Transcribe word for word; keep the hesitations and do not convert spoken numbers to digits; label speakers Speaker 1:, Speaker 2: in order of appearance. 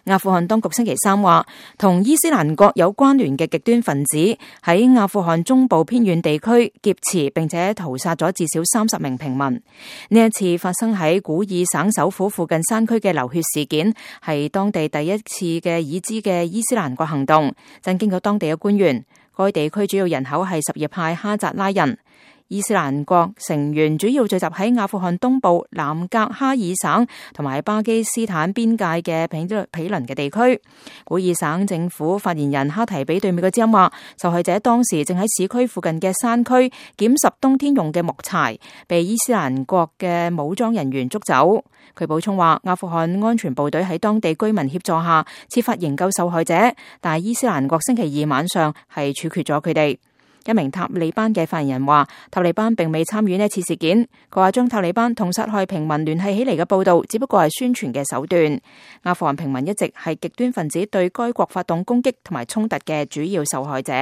Speaker 1: 阿富汗當局星期三話，同伊斯蘭國有關聯嘅極端分子喺阿富汗中部偏遠地區劫持並且屠殺咗至少三十名平民。呢一次發生喺古爾省首府附近山區嘅流血事件，係當地第一次嘅已知嘅伊斯蘭國行動，震驚咗當地嘅官員。該地區主要人口係什葉派哈扎拉人。伊斯蘭國成員主要聚集喺阿富汗東部南格哈爾省同埋巴基斯坦邊界嘅毗毗鄰嘅地區。古爾省政府發言人哈提比對美國之音話，受害者當時正喺市區附近嘅山區撿拾冬天用嘅木柴，被伊斯蘭國嘅武裝人員捉走。佢補充話，阿富汗安全部隊喺當地居民協助下設法營救受害者，但係伊斯蘭國星期二晚上係處決咗佢哋。一名塔利班嘅發言人話，塔利班並未參與呢次事件。佢話將塔利班同殺害平民聯繫起嚟嘅報道，只不過係宣傳嘅手段。阿富汗平民一直係極端分子對該國發動攻擊同埋衝突嘅主要受害者。